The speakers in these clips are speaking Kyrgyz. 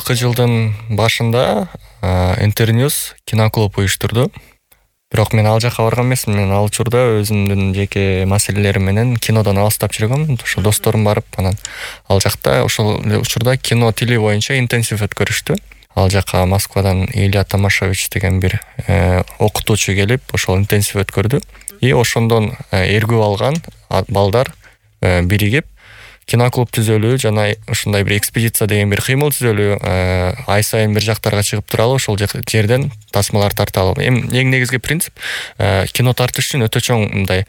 быйылкы жылдын башында Интерньюз киноклуб уюштурду. Бирок мен ал жака барган эмесмин. Мен ал учурда өзүмдүн жеке маселелерим менен кинодон алыстап жүргөм. Ошо досторум барып, анан ал жакта ошол учурда кино тили боюнча интенсив өткөрүштү. Ал жака Москвадан Илья Томашевич деген бир окутуучу келип, ошол интенсив өткөрдү. И ошондон эргүү алган балдар биригип киноклуб түзөлүү жана ушундай бир экспедиция деген бир кыймыл түзөлүү, ай сайын бир жактарга чыгып туралы, ошол жерден тасмалар тарталы. Эң негизги принцип кино тартыш үчүн өтө чоң мындай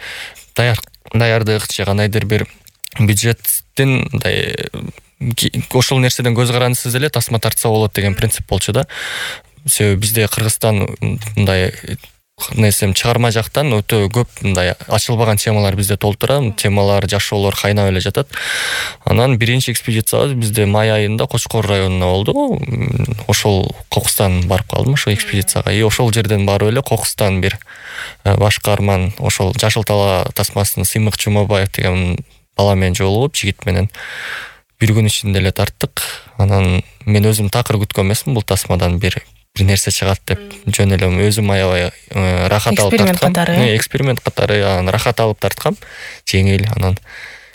даярдык же кандайдыр бир бюджеттин мындай ошол нерседен көз карандысыз эле тасма тартса болот деген принцип болчу да. Себеби бизде Кыргызстан мындай чыгарма жактан өтө көп мындай ачылбаган темалар бизде толтура, темалар, жашоолор кайнап эле жатат. Анан биринчи экспедициябыз бизде май айында Кочкор районуна болду. Ошол Кокустан барып калдым ошол экспедицияга. И ошол жерден барып эле Кокустан бир баш каарман ошол Жашыл Тала тасмасын Сыймык Жумабаев деген бала менен жолугуп, жигит менен бир күн ичинде эле тарттык. Анан мен өзүм такыр күткөн эмесмин бул тасмадан бир нерсе чыгат деп. Жөн эле өзүм аябай рахат алып тарткам. Эксперимент катары рахат алып тарткам. Жеңил. Анан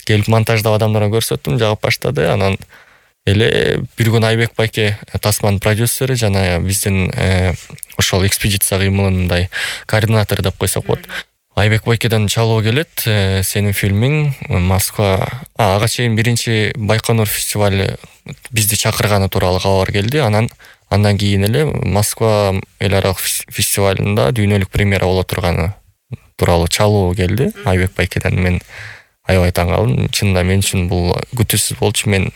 келип монтаждап адамдарга көрсөттүм, жагып баштады. Анан эле бир күн Айбек байке тасманын продюсери жана биздин ошол экспедиция кыймылындай координатор деп койсок болот. Айбек байкеден чалуу келет, сенин фильмиң Москва, ага чейин биринчи Байконур фестивалы бизди чакырганы тууралуу кабар келди. Андан кийин эле Москва эл аралык фестивалында дүйнөлүк премьера боло турганы тууралуу чалуу келди Айбек байкеден. Мен аябай таң калдым. Чынында мен үчүн бул күтүүсүз болчу. Мен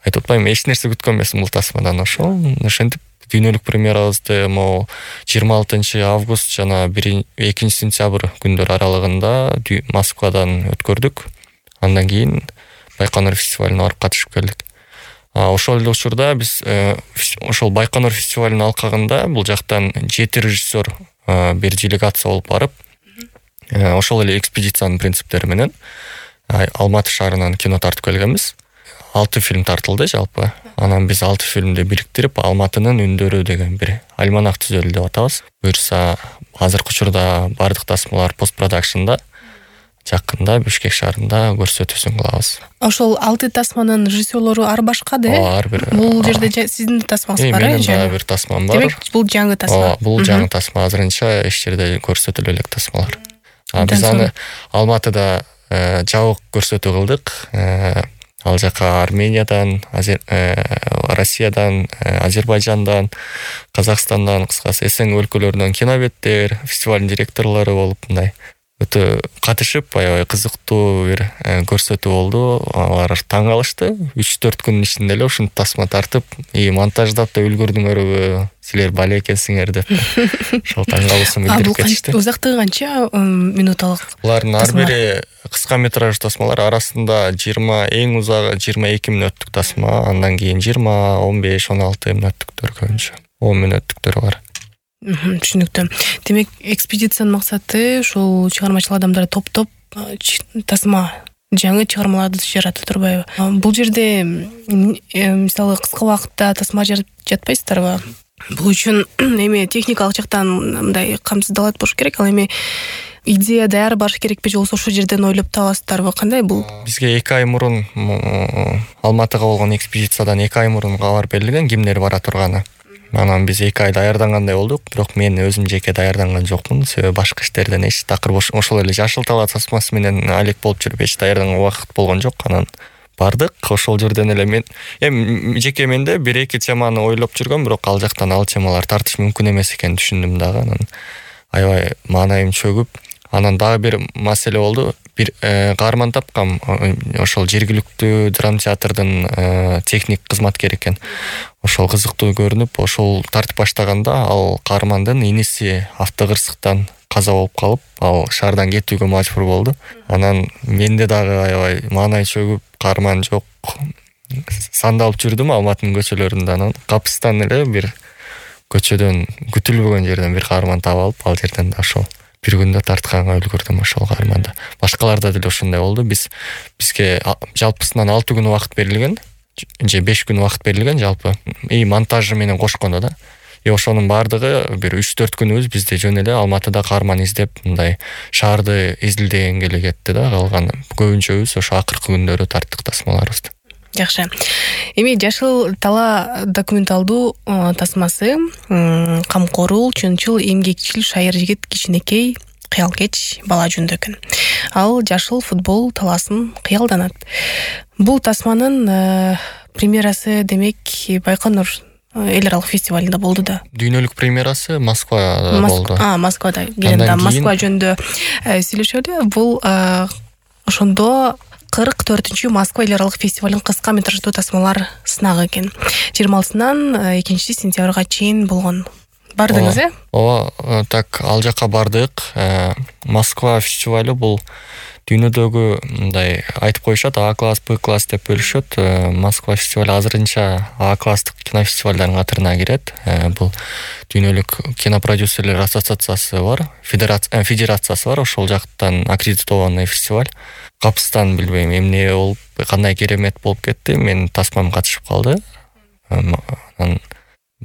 айтып атпаймынбы, эч нерсе күткөн эмесмин бул тасмадан. Ошентип дүйнөлүк премьерабызды 26 август жана 2 сентябрь күндөр аралыгында Москвадан өткөрдүк. Андан кийин Байконур фестивалына барып катышып келдик. Ошол эле учурда биз ошол Байконур фестивалынын алкагында бул жактан 7 режиссер бир делегация болуп барып, ошол эле экспедициянын принциптери менен Алматы шаарынан кино тартып келгенбиз. 6 фильм тартылды жалпы. Анан биз 6 фильмди бириктирип Алматынын үндөрү деген бир альманах түзөлү деп атабыз. Буюрса азыркы учурда бардык тасмалар постпродакшнда, жакында Бишкек шаарында көрсөтүүсүн кылабыз. Ошол 6 тасманын режиссерлору ар башка да? Ар бир. Бул жерде сиздин тасмаңыз бар, Менин дагы бир тасмам бар. Демек, бул жаңы тасма. Бул жаңы тасма, азырынча эч жерде көрсөтүлө элек тасмалар. Биз аны Алматыда жабык көрсөтүү кылдык. Ал жака Армениядан, Россиядан, Азербайжандан, Казакстандан, кыскасы СНГ өлкөлөрүнөн кинобеттер, фестивалдын директорлору болуп мындай өтө катышып, аябай кызыктуу бир көрсөтүү болду. Алар таң калышты. 3-4 күнүн ичинде эле ушуну тасма тартып, монтаждап да үлгүрдүңөрбү, силер бале экенсиңер деп. Ошол таң калуусун билдирип кетишти. Узактыгы канча минуталык? Булардын ар бири кыска метраж тасмалар, арасында 20, эң узагы 22 мүнөттүк тасма, андан кийин 20, 15, 16 мүнөттүктөр көбүнчө. 10 мүнөттүктөр бар. Түшүнүктүү. Демек, экспедициянын максаты ушул чыгармачыл адамдарды топтоп тасма жаңы чыгармаларды жарата турбайбы? Бул жерде мисалы кыска убакытта тасма жаратып жатпайсыздарбы? Бул үчүн эми техникалык жактан мындай камсыздалат болуш керек, ал эми идея даяр баш керекпи же болбосо ошол жерден ойлоп табасыздарбы? Кандай бул? Бизге 2 ай мурун Алматыга болгон экспедициядан 2 ай мурун кабар берилген, кимдер бара турганы. Анан биз 2 ай даярдангандай болдук, бирок мен өзүм жеке даярданган жокмун. Себеби башка иштерден эч такыр ошол эле Жашыл Тала тасмасы менен алек болуп жүрүп эч даярданганга убакыт болгон жок. Анан бардык, ошол жерден эле мен жеке менде 1-2 теманы ойлоп жүргөм, бирок ал жактан ал темалар тартыш мүмкүн эмес экенин түшүндүм дагы. Анан аябай маанайым чөгүп, анан дагы бир маселе болду. Бир каарман тапкам, ошол жергиликтүү драма театрдын техник кызматкери экен. Ошол кызыктуу көрүнүп, ошол тартып баштаганда ал каармандын иниси автокырсыктан каза болуп калып, ал шаардан кетүүгө мажбур болду. Анан менде дагы аябай маанай чөгүп, каарман жок, сандалып жүрдүм Алматынын көчөлөрүндө. Анан капыстан эле бир көчөдөн күтүлбөгөн жерден бир каарман таап алып, ал жерден да ошол бир күндө тартканга үлгүрдүм ошол каарманда. Башкаларда деле ошондой болду. Бизге жалпысынан 6 күн убакыт берилген. же 5 күн убакыт берилген жалпы. И монтажы менен кошкондо да. И ошонун баардыгы бир 3-4 күнүбүз бизде жөн эле Алматыда каарман издеп, мындай шаарды изилдегенге эле кетти да. Калган көбүнчөбүз ошо акыркы күндөрү тарттык тасмаларыбызды. Жакшы. Эми Жашыл тала документалдуу тасмасы камкорул, чынчыл, эмгекчил шайыр жигит кичинекей кыялкеч бала жөнүндө экен. Ал жашыл футбол таласын кыялданат. Бул тасманын премьерасы демек Байконур эл аралык фестивалында болду да. Дүйнөлүк премьерасы Москвада болду. Москвада. Келем Москва жөнүндө сүйлөшөлү. Бул ошондо 44-чү Москва эл аралык фестивалынын кыска метраждуу тасмалар сынагы экен. 26-нан 2-сентябрга чейин болгон. Бардыңыз, Ооба, так ал жака бардык. Москва фестивалы бул дүйнөдөгү мындай айтып коюшат, А класс, Б класс деп бөлүшөт. Москва фестивалы азырынча А класстык кинофестивалдардын катарына кирет. Бул дүйнөлүк кинопродюсерлер ассоциациясы бар, федерациясы бар, ошол жактан аккредитованный фестиваль. Капыстан билбейм эмне болуп, кандай керемет болуп кетти. Мен тасмам катышып калды.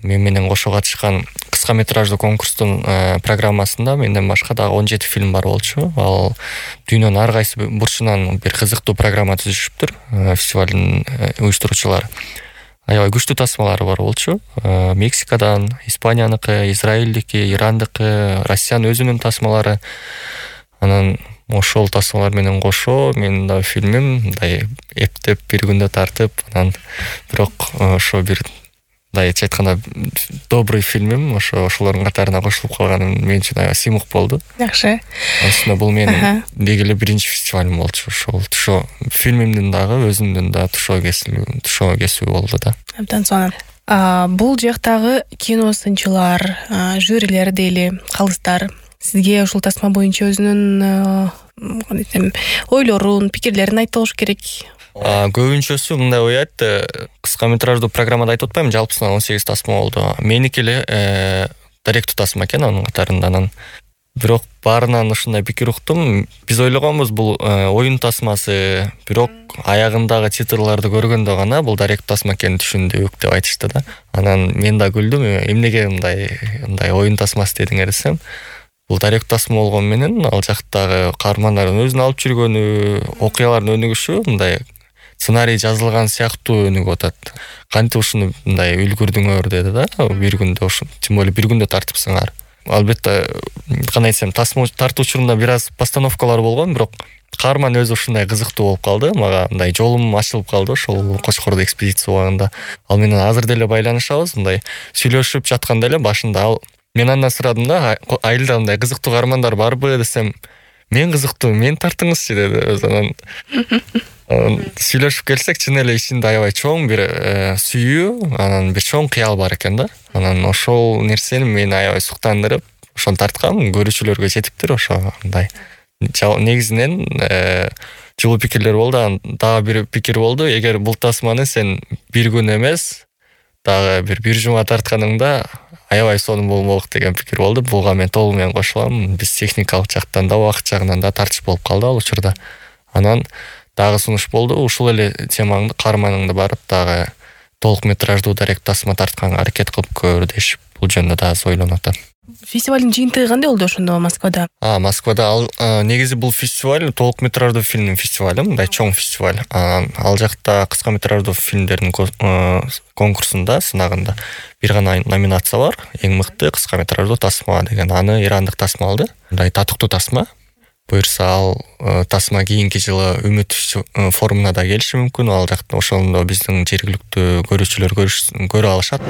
Мен менен кошо катышкан кыска метраждуу конкурстун программасында менден башка дагы 17 фильм бар болчу. Ал дүйнөнүн ар кайсы бурчунан бир кызыктуу программа түзүшүптүр. Фестивалдын уюштуруучулары. Аябай күчтүү тасмалары бар болчу. Мексикадан, Испанияныкы, Израилдики, Ирандыкы, Россиянын өзүнүн тасмалары. Анан ошол тасмалар менен кошо менин да фильмим мындай эптеп бир күндө тартып, анан бирок ошо бир мындайча айтканда добрый фильмим ошолордун катарына кошулуп калганым мен үчүн аябай сыймык болду. Жакшы. Ошондо бул менин деги эле биринчи фестивалым болчу. Ошо фильмимдин дагы өзүмдүн да тушоо кесүү болду да. Абдан сонун. Бул жактагы киносынчылар, жюрилер дейли, калыстар сизге ушул тасма боюнча өзүнүн ойлорун, пикирлерин айтып болуш керек. Көбүнчөсү мындай ой айтты. Кыска метраждуу программада айтып атпайм, жалпысынан 18 тасма болду. Меники эле даректүү тасма экен анын катарында. Бирок баарынан ушундай пикир уктум. Биз ойлогонбуз бул оюн тасмасы, бирок аягындагы титрларды көргөндө гана бул даректүү тасма экенин түшүндүк деп айтышты да. Анан мен да күлдүм. Эмнеге мындай оюн тасмасы дедиңер десем, бул даректүү тасма болгон менен ал жактагы каармандардын өзүн алып жүргөнү, окуялардын өнүгүшү мындай сценарий жазылган сыяктуу өнүгүп атат. Кантип ушуну мындай үлгүрдүңөр деди да. Бир күндө тем более бир күндө тартыпсыңар. Албетте кандай десем, тасма тартуу учурунда бир аз постановкалар болгон, бирок каарман өзү ушундай кызыктуу болуп калды. Мага мындай жолум ачылып калды ошол Кочкордо экспедиция убагында. Ал менен азыр деле байланышабыз, мындай сүйлөшүп жатканда эле башында мен андан сурадым да, айылда мындай кызыктуу каармандар барбы десем, мен кызыктуу, мен тартыңызчы деди. Анан сүйлөшүп келсек, чын эле ичинде аябай чоң бир сүйүү, анан бир чоң кыял бар экен да. Анан ошол нерсени мени аябай суктандырып, ошону тарткам, көрүүчүлөргө жетиптир. Ошо мындай негизинен жылуу пикирлер болду. Дагы бир пикир болду: эгер бул тасманы сен бир күн эмес, дагы бир жума тартканыңда аябай сонун болмок деген пикир болду. Буга мен толук менен кошулам. Биз техникалык жактан да, убакыт жагынан да тартыш болуп калды ал учурда. Анан дагы сунуш болду. Ушул эле темаңды каарманыңды барып дагы толук метраждуу даректүү тасма тартканга аракет кылып көр дешип, бул жөнүндө да аз ойлонуп атам. Фестивалдын жыйынтыгы кандай болду ошондо Москвада? Москвада негизи бул фестиваль толук метраждуу фильмдин фестивалы, мындай чоң фестиваль. Ал жакта кыска метраждуу фильмдердин конкурсунда, сынагында бир гана номинация бар. Эң мыкты кыска метраждуу тасма деген. Аны ирандык тасма алды. Мындай татыктуу тасма. Буюрса ал тасма кийинки жылы Үмүт форумуна да келиши мүмкүн. Ал жакта ошондо биздин жергиликтүү көрүүчүлөр көрө алышат.